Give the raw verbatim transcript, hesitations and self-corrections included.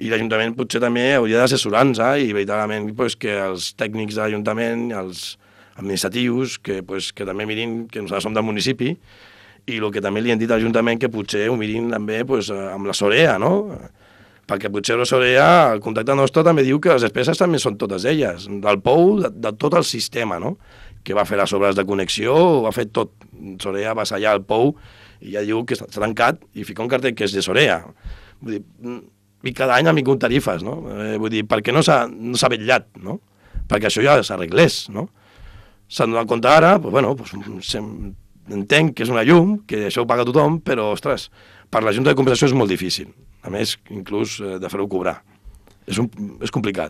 I l'Ajuntament potser també hauria d'assessorar-nos i veritablement pues, que els tècnics de l'Ajuntament, els administratius, que, pues, que també mirin que nosaltres som del municipi, i el que també li hem dit a l'Ajuntament que potser ho mirin també pues, amb la Sorea, no? Perquè potser la Sorea, el contacte nostre també diu que les despeses també són totes elles, del pou, de, de tot el sistema, no? Que va fer les obres de connexió, ho ha fet tot. Sorea va sellar el pou i ja diu que està tancat i fica un cartell que és de Sorea. Vull dir, i cada any amic un tarifes, no? Eh, vull dir, per què no s'ha no s'ha vetllat, no? Perquè això ja s'arreglés, no? S'han donat compte ara, doncs, bueno, doncs, entenc que és una llum, que això ho paga tothom, però, ostres, per la Junta de Compensació és molt difícil. A més, inclús eh, de fer-ho cobrar. És, un, és complicat.